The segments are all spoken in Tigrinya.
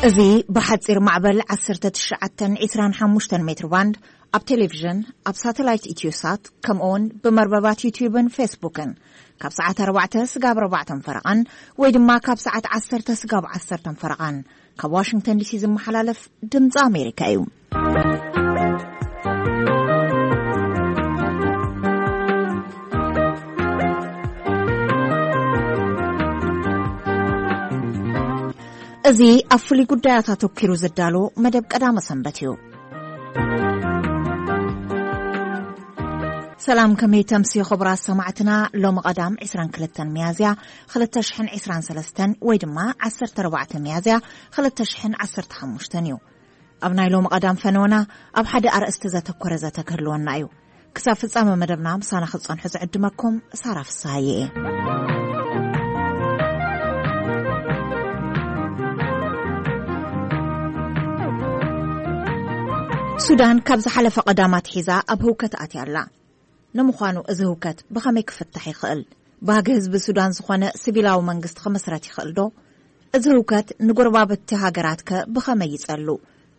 እዚ ብሓጺር ማዕበል ዓሰርተ ትሽዓተ ዕስራን ሓሙሽተን ሜትር ባንድ ኣብ ቴሌቪዥን፣ ኣብ ሳተላይት ኢትዮሳት፣ ከምኡውን ብመርበባት ዩትዩብን ፌስቡክን ካብ ሰዓት ኣርባዕተ ስጋብ ኣርባዕተን ፈረቓን ወይ ድማ ካብ ሰዓት ዓሰርተ ስጋብ ዓሰርተን ፈረቓን ካብ ዋሽንግተን ዲሲ ዝመሓላለፍ ድምፂ ኣሜሪካ እዩ። እዚ ኣብ ፍሉይ ጉዳያት ኣተኲሩ ዝዳሎ መደብ ቀዳመ ሰንበት እዩ። ሰላም፣ ከመይ ተምስዩ ክቡራት ሰማዕትና? ሎሚ ቀዳም ዕስራን ክልተን ሚያዝያ ክልተ ሽሕን ዕስራን ሰለስተን ወይ ድማ ዓሰርተ ኣርባዕተ ሚያዝያ ክልተ ሽሕን ዓሰርተ ሓሙሽተን እዩ። ኣብ ናይ ሎሚ ቀዳም ፈነወና ኣብ ሓደ ኣርእስቲ ዘተኮረ ዘተ ክህልወና እዩ። ክሳብ ፍጻመ መደብና ምሳና ክትጸንሑ ዝዕድመኩም ሳራ ፍስሃየ እየ። ሱዳን ካብ ዝሓለፈ ቀዳም ኣትሒዛ ኣብ ህውከት ኣትያ ኣላ። ንምዃኑ እዚ ህውከት ብኸመይ ክፍታሕ ይኽእል? ባህጊ ህዝቢ ሱዳን ዝኾነ ሲቪላዊ መንግስቲ ክምስረት ይኽእል ዶ? እዚ ህውከት ንጎረባብቲ ሃገራት ከ ብኸመይ ይጸሉ?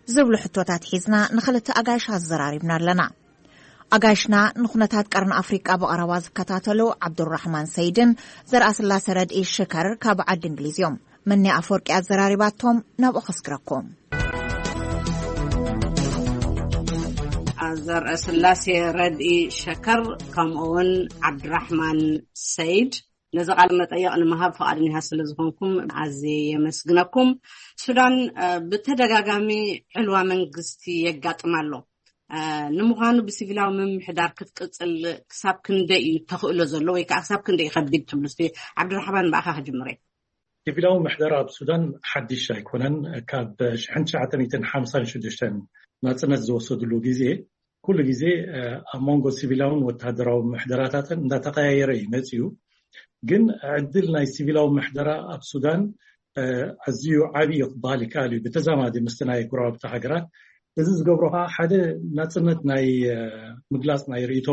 ዝብሉ ሕቶታት ሒዝና ንኽልተ ኣጋይሽ ኣዘራሪብና ኣለና። ኣጋይሽና ንኩነታት ቀርኒ ኣፍሪቃ ብቐረባ ዝከታተሉ ዓብዱራሕማን ሰይድን ዘርኣስላሰ ረድኢ ሽከር ካብ ዓዲ እንግሊዝ እዮም። መኒ ኣፈወርቂ ኣዘራሪባቶም ናብኡ ከስግረኩም። ዘርአስላሴ ረድኢ ሸከር ከምኡውን ዓብድራሕማን ሰይድ፣ ነዚ ቃለ መጠየቕ ንምሃብ ፍቓደኛታት ስለ ዝኾንኩም ኣዝየ የመስግነኩም። ሱዳን፣ እ፣ ብተደጋጋሚ ዕልዋ መንግስቲ የጋጥማ ኣሎ። እ፣ ንምዃኑ ብሲቪላዊ ምምሕዳር ክትቅጽል ክሳብ ክንደይ እዩ ተኽእሎ ዘሎ ወይ ከዓ ክሳብ ክንደይ እዩ ከቢድ ትብሉ? እስቲ ዓብድራሕማን፣ ብኣኻ ክጅምር እየ። ሲቪላዊ ምሕደራ ኣብ ሱዳን ሓድሽ ኣይኮነን። ካብ ሽሕን ትሽዓተ ሚእትን ሓምሳን ሽዱሽተን ናጽነት ዝወሰድሉ ግዜ ኩሉ ግዜ፣ እ፣ ኣብ መንጎ ሲቪላውን ወተሃደራዊ ምሕደራታትን እንዳተቐያየረ እዩ መጺኡ። ግን ዕድል ናይ ሲቪላዊ ምሕደራ ኣብ ሱዳን፣ እ፣ ኣዝዩ ዓቢ እዩ ክበሃል ይከኣል እዩ፣ ብተዛማዲ ምስቲ ናይ ጎረባብቲ ሃገራት። እዚ ዝገብሮ ከዓ ሓደ ናጽነት ናይ፣ እ፣ ምግላጽ ናይ ርእይቶ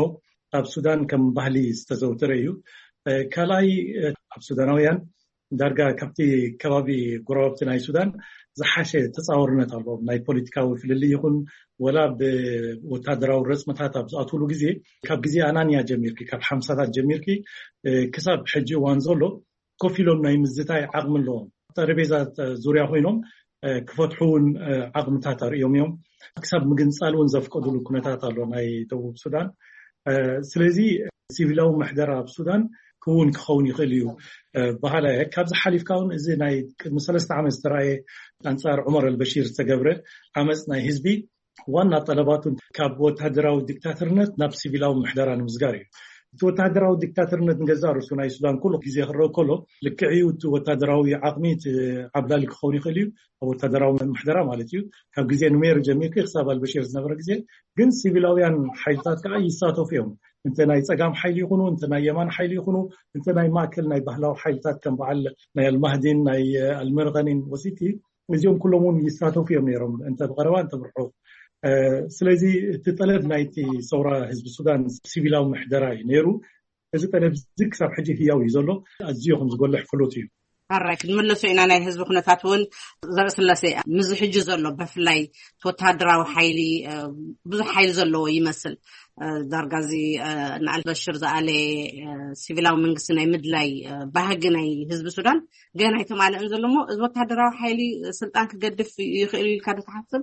ኣብ ሱዳን ከም ባህሊ ዝተዘውተረ እዩ። እ፣ ካልኣይ፣ እ፣ ኣብ ሱዳናውያን ዳርጋ ካብቲ ከባቢ ጎረባብቲ ናይ ሱዳን ዝሓሸ ተጻዋርነት ኣለዎም። ናይ ፖለቲካዊ ፍልልይ ይኹን ወላ ብወታደራዊ ረጽምታት ኣብ ዝኣትውሉ ግዜ፣ ካብ ግዜ ኣናንያ ጀሚርኪ፣ ካብ ሓምሳታት ጀሚርኪ፣ እ፣ ክሳብ ሕጂ እዋን ዘሎ ኮፍ ኢሎም ናይ ምዝታይ ዓቕሚ ኣለዎም። ጠረጴዛ ዙርያ ኮይኖም፣ እ፣ ክፈትሑ እውን፣ እ፣ ዓቕምታት ኣርእዮም እዮም። ክሳብ ምግንጻል እውን ዘፍቀዱሉ ኩነታት ኣሎ ናይ ደቡብ ሱዳን። እ፣ ስለዚ ሲቪላዊ ምሕደራ ኣብ ሱዳን ክውን ክኸውን ይኽእል እዩ፣ እ፣ በሃላይ እየ። ካብዚ ሓሊፍካ እውን እዚ ናይ ቅድሚ ሰለስተ ዓመት ዝተረኣየ ኣንጻር ዑመር ኣልበሺር ዝተገብረ ዓመጽ ናይ ህዝቢ ዋና ጠለባቱ ካብ ወታደራዊ ዲክታተርነት ናብ ሲቪላዊ ምሕደራ ንምስጋር እዩ። እቲ ወታደራዊ ዲክታተርነት ንገዛእ ርእሱ ናይ ሱዳን ኩሉ ግዜ ክረአ ከሎ ልክዕ እዩ። እቲ ወታደራዊ ዓቕሚ እቲ ዓብላሊ ክኸውን ይኽእል እዩ፣ ኣብ ወታደራዊ ምሕደራ ማለት እዩ። ካብ ግዜ ኑሜር ጀሚርኪ ክሳብ ኣልበሽር ዝነበረ ግዜ ግን ሲቪላውያን ሓይልታት ከዓ ይሳተፉ እዮም። እንተ ናይ ጸጋም ሓይሊ ይኹኑ፣ እንተ ናይ የማን ሓይሊ ይኹኑ፣ እንተ ናይ ማእከል ናይ ባህላዊ ሓይልታት ከም በዓል ናይ ኣልማህዲን ናይ ኣልመርቐኒን ወሲቲ፣ እዚኦም ኩሎም እውን ይሳተፉ እዮም ነይሮም፣ እንተ ብቐረባ እንተ ብርሑቕ። እ፣ ስለዚ እቲ ጠለብ ናይቲ ሰውራ ህዝቢ ሱዳን ሲቪላዊ ምሕደራ እዩ ነይሩ። እዚ ጠለብ እዚ ክሳብ ሕጂ ህያው እዩ ዘሎ። ኣዝዮ ከም ዝጎልሕ ፍሉጥ እዩ። ኣራይ ክንምለሶ ኢና። ናይ ህዝቢ ኩነታት እውን ዘርእስላሴ፣ ምዚ ሕጂ ዘሎ ብፍላይ እቲ ወተሃደራዊ ሓይሊ፣ እ፣ ብዙሕ ሓይሊ ዘለዎ ይመስል። እ፣ ዳርጋ እዚ፣ እ፣ ንኣልበሽር ዝኣለ፣ እ፣ ሲቪላዊ መንግስቲ ናይ ምድላይ፣ እ፣ ባህጊ ናይ ህዝቢ ሱዳን ገና ኣይተማልእን ዘሎ እሞ፣ እዚ ወተሃደራዊ ሓይሊ ስልጣን ክገድፍ ይኽእል ኢልካ ዶ ትሓስብ?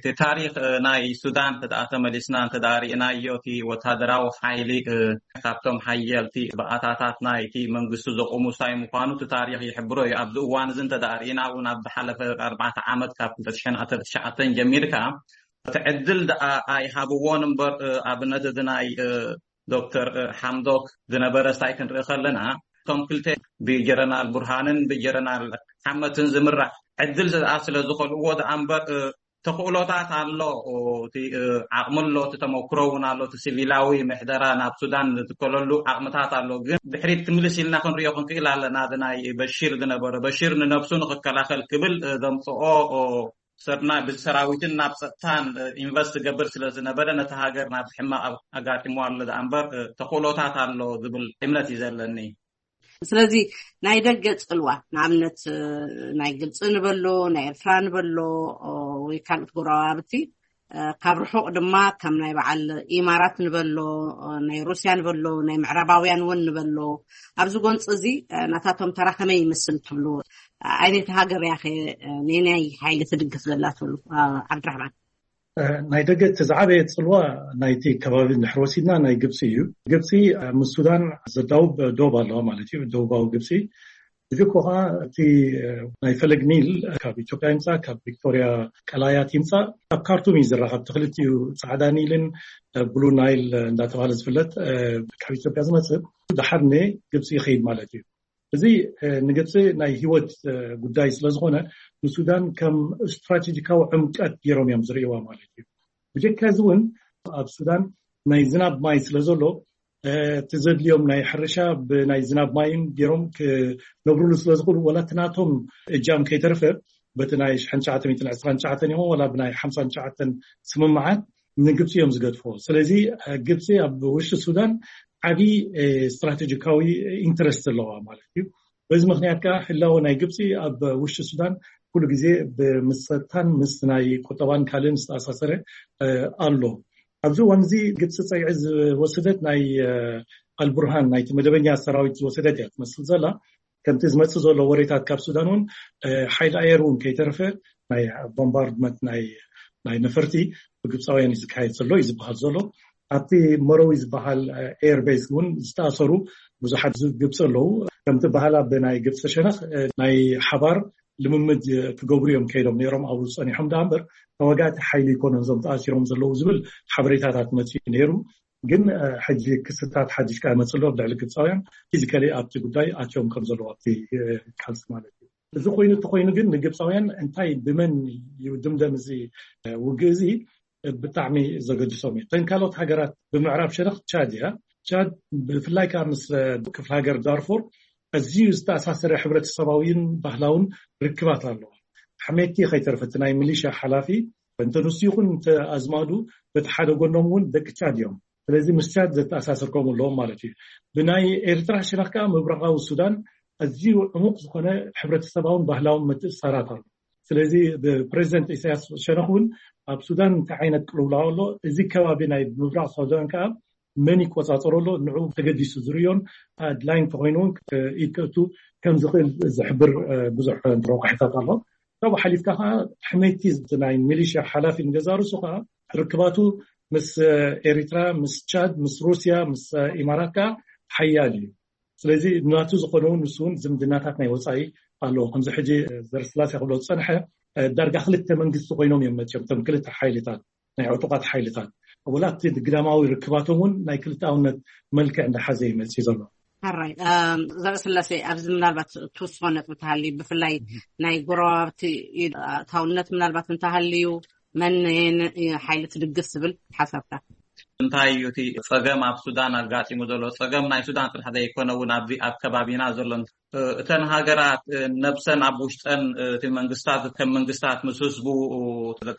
እቲ ታሪኽ፣ እ፣ ናይ ሱዳን እንተ ደኣ ተመሊስና እንተ ደኣ ርኢናዮ፣ እቲ ወተሃደራዊ ሓይሊ፣ እ፣ ካብቶም ሓየልቲ ባእታታት ናይቲ መንግስቲ ዘቑሙ ሳይ ምዃኑ እቲ ታሪኽ ይሕብሮ እዩ። ኣብዚ እዋን እዚ እንተ ደኣ ርኢና እውን፣ ኣብ ዝሓለፈ ኣርባዕተ ዓመት ካብ ክልተ ሽሕን ዓሰርተ ትሽዓተን ጀሚርካ፣ እቲ ዕድል ደኣ ኣይሃብዎን እምበር፣ እ፣ ኣብነት እዚ ናይ፣ እ፣ ዶክተር፣ እ፣ ሓምዶክ ዝነበረ ሳይ ክንርኢ ከለና፣ እቶም ክልተ ብጀረናል ቡርሃንን ብጀረናል ሓመትን ዝምራሕ ዕድል ደኣ ስለ ዝኸልእዎ ደኣ እምበር፣ እ፣ ተኽእሎታት ኣሎ፣ እቲ፣ እ፣ ዓቕሚ ኣሎ፣ እቲ ተመክሮ እውን ኣሎ፣ እቲ ሲቪላዊ ምሕደራ ናብ ሱዳን ዝትከለሉ ዓቕምታት ኣሎ። ግን ድሕሪት ክምልስ ኢልና ክንሪኦ ክንክእል ኣለና። እዚ ናይ በሺር ዝነበረ፣ በሺር ንነብሱ ንኽከላኸል ክብል፣ እ፣ ዘምጽኦ፣ ኦ፣ ሰብ ናብ ሰራዊትን ናብ ጸጥታን፣ እ፣ ኢንቨስት ዝገብር ስለ ዝነበረ፣ ነቲ ሃገር ናብዚ ሕማቕ ኣብ-፣ ኣጋጢሞ ኣሎ ደኣ እምበር፣ እ፣ ተኽእሎታት ኣሎ ዝብል እምነት እዩ ዘለኒ። ስለዚ ናይ ደገ ጽልዋ፣ ንኣብነት ናይ ግብፂ ንበሎ፣ ናይ ኤርትራ ንበሎ፣ ወይ ካልኦት ጎረባብቲ፣ ካብ ርሑቕ ድማ ከም ናይ በዓል ኢማራት ንበሎ፣ ናይ ሩስያ ንበሎ፣ ናይ ምዕራባውያን እውን ንበሎ፣ ኣብዚ ጎንፂ እዚ ናታቶም ተራ ከመይ ይመስል ትብሉ? ዓይነት ሃገር ያኸ ነናይ ሓይሊ ትድግፍ ዘላ ትብሉ? ዓብድራሕማን። ናይ ደገ እቲ ዝዓበየ ፅልዋ ናይቲ ከባቢ እንድሕር ወሲድና ናይ ግብፂ እዩ። ግብፂ ምስ ሱዳን ዘዳውብ ዶብ ኣለዋ ማለት እዩ፣ ደቡባዊ ግብፂ። እዚ እኮ ከዓ እቲ ናይ ፈለግ ኒል ካብ ኢትዮጵያ ይምፃእ፣ ካብ ቪክቶሪያ ቀላያት ይምፃእ፣ ኣብ ካርቱም እዩ ዝረኸብ። እቲ ክልቲኡ ፃዕዳ ኒልን ብሉ ናይል እንዳተባሃለ ዝፍለጥ ካብ ኢትዮጵያ ዝመፅእ ድሓር ን ግብፂ ይኸይድ ማለት እዩ። እዚ ንግብፂ ናይ ህይወት ጉዳይ ስለዝኾነ ንሱዳን ከም ስትራቴጂካዊ ዕምቀት ገይሮም እዮም ዝርእይዋ ማለት እዩ። ብጀካ እዚ እውን ኣብ ሱዳን ናይ ዝናብ ማይ ስለዘሎ እቲ ዘድልዮም ናይ ሕርሻ ብናይ ዝናብ ማይን ገይሮም ክነብሩሉ ስለዝኽእሉ፣ ወላ እቲ ናቶም እጃም ከይተረፈ በቲ ናይ ሽሕን ትሽዓተ ሚእትን ዕስራን ትሽዓተን ይኹን ወላ ብናይ ሓምሳን ትሽዓተን ስምምዓት ንግብፂ እዮም ዝገድፍዎ። ስለዚ ግብፂ ኣብ ውሽጢ ሱዳን ዓብዪ ስትራቴጂካዊ ኢንትረስት ኣለዋ ማለት እዩ። በዚ ምክንያት ከዓ ህላወ ናይ ግብፂ ኣብ ውሽጢ ሱዳን ኩሉ ግዜ ብምሰታን ምስ ናይ ቁጠባን ካልእን ዝተኣሳሰረ ኣሎ። ኣብዚ እዋን እዚ ግብፂ ፀግዒ ዝወሰደት ናይ ኣልቡርሃን ናይቲ መደበኛ ሰራዊት ዝወሰደት እያ ትመስል ዘላ። ከምቲ ዝመፅእ ዘሎ ወሬታት ካብ ሱዳን እውን ሓይሊ ኣየር እውን ከይተረፈ ናይ ቦምባርድመንት ናይ ነፈርቲ ብግብፃውያን እዩ ዝካየድ ዘሎ እዩ ዝበሃል ዘሎ። ኣብቲ መረዊ ዝበሃል ኤርቤዝ እውን ዝተኣሰሩ ብዙሓት ግብፂ ኣለዉ። ከምቲ በሃላ ብናይ ግብፂ ሸነኽ ናይ ሓባር ልምምድ ክገብሩ እዮም ከይዶም ነይሮም ኣብኡ ፀኒሖም። ደኣ እምበር ተዋጋእቲ ሓይሊ ይኮኑን እዞም ተኣሲሮም ዘለዉ ዝብል ሓበሬታታት መፅኡ ነይሩ። ግን ሕጂ ክስታት ሓድሽ ቃ መፅሎ ኣብ ልዕሊ ግብፃውያን ፊዚካሊ ኣብቲ ጉዳይ ኣትዮም ከም ዘለዉ ኣብቲ ቃልሲ ማለት እዩ። እዚ ኮይኑ እቲ ኮይኑ ግን ንግብፃውያን እንታይ ብመን ይድምደም እዚ ውግእ እዚ ብጣዕሚ ዘገድሶም እዩ። እተን ካልኦት ሃገራት ብምዕራብ ሸነኽ ቻድ እያ። ቻድ ብፍላይ ከዓ ምስ ክፍለ ሃገር ዳርፉር ኣዝዩ ዝተኣሳሰረ ሕብረተሰባዊን ባህላውን ርክባት ኣለዋ። ኣሕሜቲ ከይተርፈ እቲ ናይ ሚሊሻ ሓላፊ እንተ ንሱ ይኹን እንተ ኣዝማዱ በቲ ሓደ ጎኖም እውን ደቂ ቻድ እዮም። ስለዚ ምስ ቻድ ዘተኣሳስር ከምኡ ኣለዎም ማለት እዩ። ብናይ ኤርትራ ሸነኽ ከዓ ምብራቓዊ ሱዳን ኣዝዩ ዕሙቕ ዝኾነ ሕብረተሰባውን ባህላውን ምትእስሳራት ኣሎ። ስለዚ ብፕሬዚደንት ኢሳያስ ሸነኽ እውን ኣብ ሱዳን እንታይ ዓይነት ቅልውላው ኣሎ፣ እዚ ከባቢ ናይ ምብራቕ ሱዳን ከዓ መን ይቆፃፀሮ ኣሎ፣ ንዑ ተገዲሱ ዝርዮን ኣድላይ እንተኮይኑ እውን ኢድ ከእቱ ከም ዝኽእል ዝሕብር ብዙሕ ረቋሒታት ኣሎ። ካብኡ ሓሊፍካ ከዓ ሕመይቲ ናይ ሚሊሽያ ሓላፊ ንገዛርሱ ከዓ ርክባቱ ምስ ኤሪትራ፣ ምስ ቻድ፣ ምስ ሩስያ፣ ምስ ኢማራት ከዓ ሓያል እዩ። ስለዚ ናቱ ዝኾነ እውን ንሱ እውን ዝምድናታት ናይ ወፃኢ ኣለዎ። ከምዚ ሕጂ ዘርስላሴ ክብሎ ዝፀንሐ ዳርጋ ክልተ መንግስቲ ኮይኖም እዮም መፅኦም እቶም ክልተ ሓይልታት ናይ ዕጡቃት ሓይልታት። ወላ እቲ ግዳማዊ ርክባቶም እውን ናይ ክልተኣውነት መልክዕ እንዳሓዘ ይመፅእ ዘሎ። ሓራይ ዘርእስላሴ ኣብዚ ምናልባት ትውስኾ ነጥቢ ተሃሊ ብፍላይ ናይ ጎረባብቲ ኣታውነት ምናልባት እንተሃልዩ መን ሓይሊ ትድግፍ ዝብል ሓሳብካ? እንታይ እዩ እቲ ፀገም ኣብ ሱዳን ኣጋጢሙ ዘሎ? ፀገም ናይ ሱዳን ጥራሕ ዘይኮነ እውን ኣብዚ ኣብ ከባቢና ዘሎ እተን ሃገራት ነብሰን ኣብ ውሽጠን እቲ መንግስታት ከም መንግስታት ምስ ህዝቡ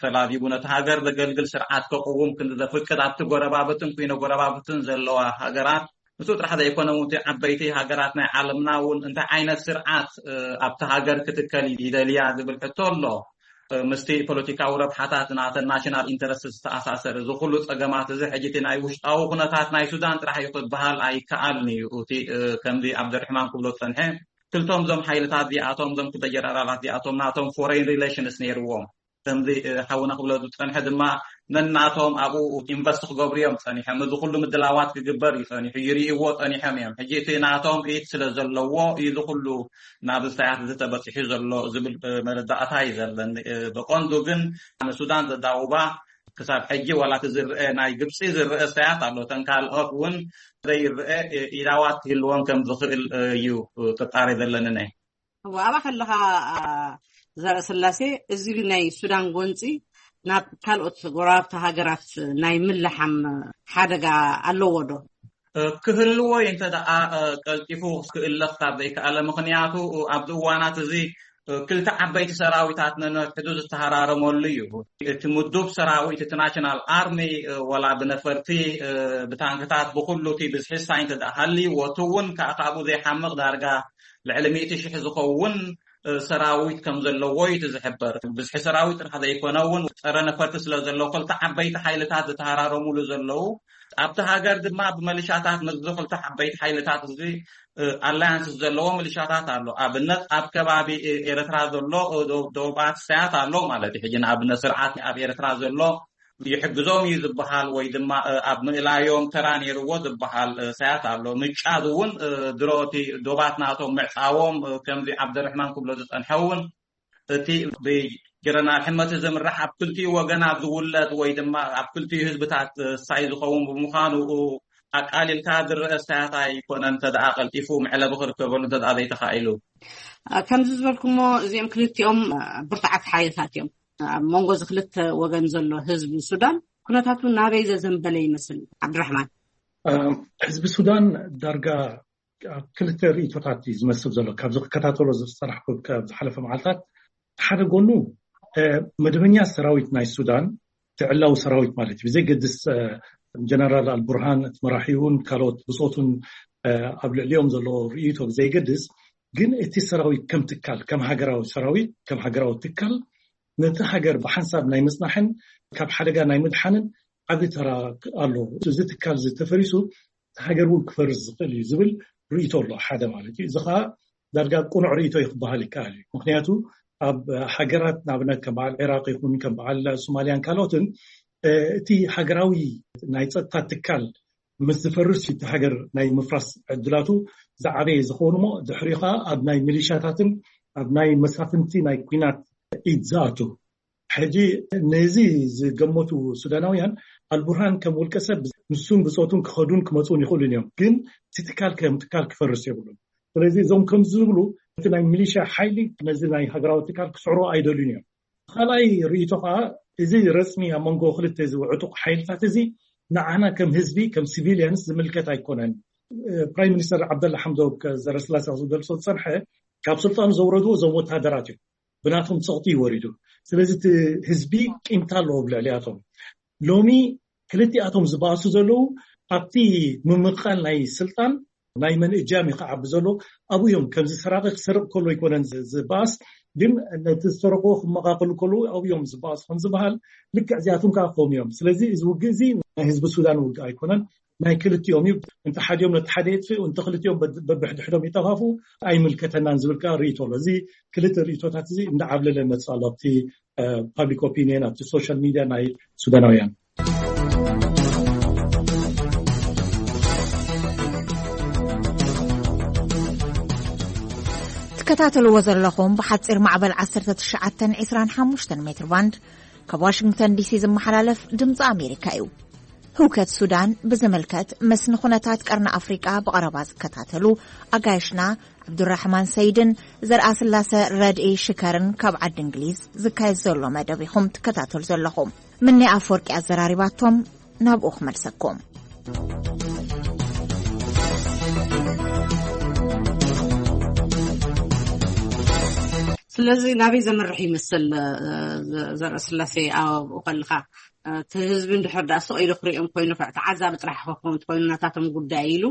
ተላዚቡ ነቲ ሃገር ዘገልግል ስርዓት ከቅውም ክንዲ ዘፍቅድ ኣብቲ ጎረባብትን ኩነ ጎረባብትን ዘለዋ ሃገራት ንሱ ጥራሕ ዘይኮነ እውን እቲ ዓበይቲ ሃገራት ናይ ዓለምና እውን እንታይ ዓይነት ስርዓት ኣብቲ ሃገር ክትከል ይደልያ ዝብል ሕቶ ኣሎ። ምስቲ ፖለቲካዊ ረብሓታት ናተን ናሽናል ኢንተረስት ዝተኣሳሰር እዚ ኩሉ ፀገማት እዚ ሕጂ እቲ ናይ ውሽጣዊ ኩነታት ናይ ሱዳን ጥራሕ እዩ ክበሃል ኣይከኣልን እዩ። እቲ ከምዚ ዓብደርሕማን ክብሎ ዝፀንሐ ክልቶም እዞም ሓይልታት እዚኣቶም እዞም ክልተ ጀነራላት እዚኣቶም ናቶም ፎሬን ሪሌሽንስ ነይርዎም። ከምዚ ሓውና ክብሎ ዝፀንሐ ድማ ነናቶም ኣብኡ ኢንቨስት ክገብሩ እዮም ፀኒሖም። እዚ ኩሉ ምድላዋት ክግበር እዩ ፀኒሑ፣ ይርእይዎ ፀኒሖም እዮም። ሕጂ እቲ ናቶም ኢድ ስለ ዘለዎ እዩ እዚ ኩሉ ናብ ኢሳያስ ዝተበፂሑ ዘሎ ዝብል መረዳእታ እዩ ዘለኒ። ብቐንዱ ግን ንሱዳን ዘዳውባ ክሳብ ሕጂ ዋላ እቲ ዝረአ ናይ ግብፂ ዝረአ ስታያት ኣሎ። እተን ካልኦት እውን ዘይረአ ኢላዋት ክህልወን ከም ዝኽእል እዩ ጥርጣሬ ዘለኒ። ናይ እዋ ኣብኣ ከለኻ ዘርእስላሴ እዚ ናይ ሱዳን ጎንፂ ናብ ካልኦት ጎረባብቲ ሃገራት ናይ ምልሓም ሓደጋ ኣለዎ ዶ? ክህልዎ እዩ እንተ ደኣ ቀልጢፉ ክእለኽ ካብ ዘይከኣለ። ምኽንያቱ ኣብዚ እዋናት እዚ ክልተ ዓበይቲ ሰራዊታት ነንሕዱ ዝተሃራረመሉ እዩ። እቲ ምዱብ ሰራዊት፣ እቲ ናሽናል ኣርሚ፣ ወላ ብነፈርቲ፣ ብታንክታት፣ ብኩሉ እቲ ብዝሒ ሳይንት ደኣ ሃልይዎ፣ እቲ እውን ከዓ ካብኡ ዘይሓምቕ ዳርጋ ልዕሊ ሚእቲ ሽሕ ዝኸውን ሰራዊት ከም ዘለዎ እዩ እቲ ዝሕበር። ብዝሒ ሰራዊት ጥራሕ ዘይኮነ እውን፣ ፀረ ነፈርቲ ስለ ዘለዎ፣ ክልተ ዓበይቲ ሓይልታት ዝተሃራረሙሉ ዘለዉ፣ ኣብቲ ሃገር ድማ ብመሊሻታት፣ ምስዚ ክልተ ዓበይቲ ሓይልታት እዚ ኣላያንስ ዘለዎ ሚሊሻታት ኣሎ። ኣብነት ኣብ ከባቢ ኤርትራ ዘሎ ደቡባት ሳያት ኣሎ ማለት እዩ። ሕጂ ንኣብነት ስርዓት ኣብ ኤርትራ ዘሎ ይሕግዞም እዩ ዝበሃል፣ ወይ ድማ ኣብ ምእላዮም ተራ ነይርዎ ዝበሃል ሳያት ኣሎ። ምጫድ እውን ድሮ እቲ ዶባት ናቶም ምዕፃዎም፣ ከምዚ ዓብደርሕማን ክብሎ ዝፀንሐ እውን፣ እቲ ብጀረናል ሕመቲ ዝምራሕ ኣብ ክልቲኡ ወገን ኣብ ዝውለድ ወይ ድማ ኣብ ክልቲኡ ህዝብታት ሳይ ዝኸውን ብምዃኑ፣ ኣቃሊልካ ዝረአ ሳያት ኣይኮነን። እንተ ደኣ ቀልጢፉ መዕለቢ ክርከበሉ እንተ ደኣ ዘይተኻኢሉ። ከምዚ ዝበልኩሞ፣ እዚኦም ክልቲኦም ብርቱዓት ሓይልታት እዮም። ኣብ መንጎ እዚ ክልተ ወገን ዘሎ ህዝቢ ሱዳን ኩነታቱ ናበይ ዘዘንበለ ይመስል? ዓብድራሕማን። ህዝቢ ሱዳን ዳርጋ ኣብ ክልተ ርእይቶታት እዩ ዝመስል ዘሎ። ካብዚ ክከታተሎ ዝፀናሕኩ ካብ ዝሓለፈ መዓልታት፣ ሓደ ጎኑ መደበኛ ሰራዊት ናይ ሱዳን፣ ትዕላዊ ሰራዊት ማለት እዩ፣ ብዘይገድስ ጀነራል ኣልቡርሃን እቲ መራሒውን ካልኦት ብፆቱን ኣብ ልዕሊኦም ዘሎ ርእይቶ ብዘይገድስ፣ ግን እቲ ሰራዊት ከም ትካል፣ ከም ሃገራዊ ሰራዊት፣ ከም ሃገራዊ ትካል ነቲ ሃገር ብሓንሳብ ናይ ምፅናሕን ካብ ሓደጋ ናይ ምድሓንን ዓቢ ተራ ኣሎ። እዚ ትካል እዚ ተፈሪሱ፣ እቲ ሃገር እውን ክፈርስ ዝኽእል እዩ ዝብል ርእይቶ ኣሎ፣ ሓደ ማለት እዩ። እዚ ከዓ ዳርጋ ቅኑዕ ርእይቶ እዩ ክበሃል ይከኣል እዩ። ምክንያቱ ኣብ ሃገራት ንኣብነት ከም በዓል ዒራቅ ይኹን ከም በዓል ሶማልያን ካልኦትን፣ እቲ ሃገራዊ ናይ ፀጥታ ትካል ምስ ዝፈርስ እቲ ሃገር ናይ ምፍራስ ዕድላቱ ዝዓበየ ዝኸውን እሞ፣ ድሕሪኡ ከዓ ኣብ ናይ ሚሊሻታትን ኣብ ናይ መሳፍንቲ ናይ ኲናት ኢድ ዝኣቱ። ሕጂ ነዚ ዝገመቱ ሱዳናውያን፣ ኣልቡርሃን ከም ውልቀ ሰብ ንሱን ብፆቱን ክኸዱን ክመፁን ይኽእሉን እዮም። ግን እቲ ትካል ከም ትካል ክፈርስ የብሉን። ስለዚ እዞም ከምዚ ዝብሉ፣ እቲ ናይ ሚሊሻ ሓይሊ ነዚ ናይ ሃገራዊ ትካል ክስዕሮ ኣይደልዩን እዮም። ካልኣይ ርእይቶ ከዓ፣ እዚ ረፅሚ ኣብ መንጎ ክልተ እዚ ዕጡቕ ሓይልታት እዚ ንዓና ከም ህዝቢ፣ ከም ሲቪሊያንስ ዝምልከት ኣይኮነን። ፕራይም ሚኒስተር ዓብደላ ሓምዶክ ዘረስላሴ ዝገልጾ ዝጸንሐ፣ ካብ ስልጣኑ ዘውረድዎ እዞም ወታደራት እዮም። ብናቶም ጸቕጢ እዩ ወሪዱ። ስለዚ እቲ ህዝቢ ቂምታ ኣለዎ ብልዕሊኣቶም። ሎሚ ክልቲኣቶም ዝበኣሱ ዘለዉ ኣብቲ ምምቕቓል ናይ ስልጣን ናይ መን እጃም እዩ ክዓቢ ዘሎ? ኣብኡ እዮም። ከምዚ ሰራቂ ክሰርቕ ከሎ ኣይኮነን ዝ-፣ ዝበኣስ፣ ግን ነቲ ዝሰረቕዎ ክመቓቐሉ ከለዉ ኣብኡ እዮም ዝበኣሱ ከም ዝበሃል፣ ልክዕ እዚኣቶም ከዓ ከምኡ እዮም። ስለዚ እዚ ውግእ እዚ ናይ ህዝቢ ሱዳን ውግእ ኣይኮነን፣ ናይ ክልቲኦም እዩ። እንተ ሓዲኦም ነቲ ሓደ የጥፍኡ፣ እንተ ክልቲኦም በድ-፣ በብሕድሕዶም ይጠፋፍኡ፣ ኣይምልከተናን ዝብል ከዓ ርእይቶ ኣሎ። እዚ ክልተ ርእይቶታት እዚ እንዳዓብለለ መፅእ ኣሎ ኣብቲ፣ እ፣ ፓብሊክ ኦፒንየን፣ ኣብቲ ሶሻል ሚድያ ናይ ሱዳናውያን። ትከታተልዎ ዘለኹም ብሓፂር ማዕበል ዓሰርተ ትሽዓተን ዕስራን ሓሙሽተን ሜትር ባንድ ካብ ዋሽንግተን ዲሲ ዝመሓላለፍ ድምፂ ኣሜሪካ እዩ። ህውከት ሱዳን ብዝምልከት፣ ምስ ንኹነታት ቀርኒ ኣፍሪቃ ብቐረባ ዝከታተሉ ኣጋይሽና ዓብዱራሕማን ሰይድን ዘርኣስላሰ ረድኢ ሽከርን ካብ ዓዲ እንግሊዝ ዝካየድ ዘሎ መደብ ኢኹም ትከታተሉ ዘለኹም። ምኒ ኣፈወርቂ ኣዘራሪባቶም፣ ናብኡ ክመልሰኩም። ስለዚ ናበይ ዘምርሕ ይመስል፣ እ፣ ዘ-፣ ዘርእስላሴ ኣብኡ ከለኻ፣ እ፣ እቲ ህዝቢ እንድሕር ደኣ ስቕ ኢሉ ክሪኦም ኮይኑ፣ ተዓዛቢ ጥራሕ ክኸውን እንተኮይኑ ናታቶም ጉዳይ ኢሉ፣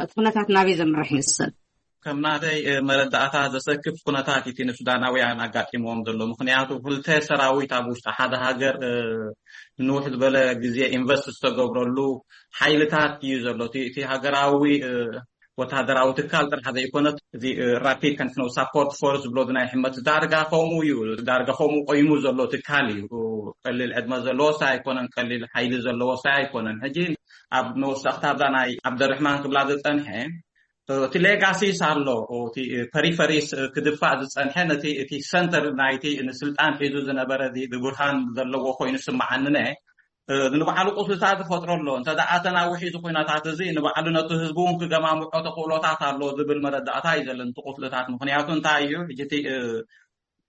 እቲ ኩነታት ናበይ ዘምርሕ ይመስል? ከም ናተይ፣ እ፣ መረዳእታ ዘሰክፍ ኩነታት እቲ ንሱዳናውያን ኣጋጢምዎም ዘሎ። ምኽንያቱ ክልተ ሰራዊት ኣብ ውሽጢ ሓደ ሃገር፣ እ፣ ንንውሕ ዝበለ ግዜ ኢንቨስት ዝተገብረሉ ሓይልታት እዩ ዘሎ። እቲ፣ እቲ ሃገራዊ፣ እ፣ ወታደራዊ ትካል ጥራሕ ዘይኮነ፣ እዚ፣ እ፣ ራፒድ ኮንቲነንስ ሳፖርት ፎርስ ዝብሎ ናይ ሕመት ዳርጋ ከምኡ እዩ። ዳርጋ ከምኡ ቆይሙ ዘሎ ትካል እዩ። ቀሊል ዕድመ ዘለዎስ ኣይኮነን፣ ቀሊል ሓይሊ ዘለዎስ ኣይኮነን። ሕጂ ኣብ መወሰኽታ ኣብዛ ናይ ዓብደርሕማን ክብላ ዝጸንሐ፣ እቲ ሌጋሲስ ኣሎ፣ እቲ ፐሪፈሪስ ክድፋእ ዝጸንሐ፣ ነቲ፣ እቲ ሰንተር ናይቲ ንስልጣን ሒዙ ዝነበረ እዚ ብቡርሃን ዘለዎ ኮይኑ ስምዓኒ ነ፣ ንባዕሉ ቁስልታት ዝፈጥሮ ኣሎ። እንተ ደኣ ተናዊሑ እዚ ኩነታት እዚ ንባዕሉ ነቲ ህዝቡ እውን ክገማምዖ ተኽእሎታት ኣሎ ዝብል መረዳእታ እዩ ዘለኒ፣ እቲ ቁስልታት። ምኽንያቱ እንታይ እዩ፣ ሕጂ እቲ፣ እ፣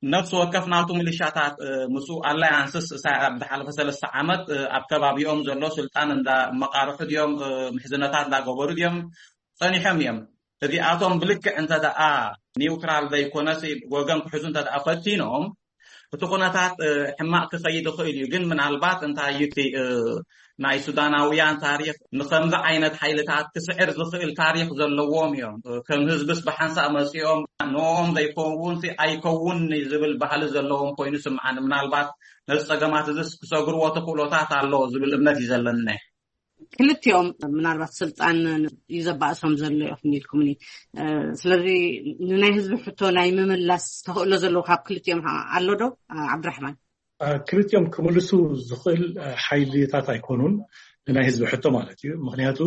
ነፍሲ ወከፍ ናቱ ሚሊሻታት፣ እ፣ ምስኡ ኣላያንስስ፣ ሳ-፣ ኣብ ዝሓለፈ ሰለስተ ዓመት፣ እ፣ ኣብ ከባቢኦም ዘሎ ስልጣን እንዳ መቃርሑ ድዮም፣ እ፣ ምሕዝነታት እንዳገበሩ ድዮም ጸኒሖም እዮም። እዚኣቶም ብልክዕ እንተ ደኣ ኒውትራል ዘይኮነሲ ወገን ክሕዙ እንተ ደኣ ፈቲኖም፣ እቲ ኩነታት ሕማቕ ክኸይድ ይኽእል እዩ። ግን ምናልባት እንታይ እዩ እቲ ናይ ሱዳናውያን ታሪኽ ንኸምዚ ዓይነት ሓይልታት ክስዕር ዝኽእል ታሪኽ ዘለዎም እዮም። ከም ህዝብስ ብሓንሳእ መጺኦም ንኦም ዘይከውን ኣይከውን ዝብል ባህሊ ዘለዎም ኮይኑ ስምዓኒ። ምናልባት ነዚ ጸገማት እዚስ ክሰግርዎ ተኽእሎታት ኣሎ ዝብል እምነት እዩ ዘለኒ። ክልቲኦም ምናልባት ስልጣን እዩ ዘባእሶም ዘሎ ኢኹም ኢልኩምኒ። ስለዚ ንናይ ህዝቢ ሕቶ ናይ ምምላስ ተኽእሎ ዘለዎ ካብ ክልቲኦም ኣሎ ዶ? ዓብድራሕማን። ክልቲኦም ክምልሱ ዝኽእል ሓይልታት ኣይኮኑን፣ ንናይ ህዝቢ ሕቶ ማለት እዩ። ምክንያቱ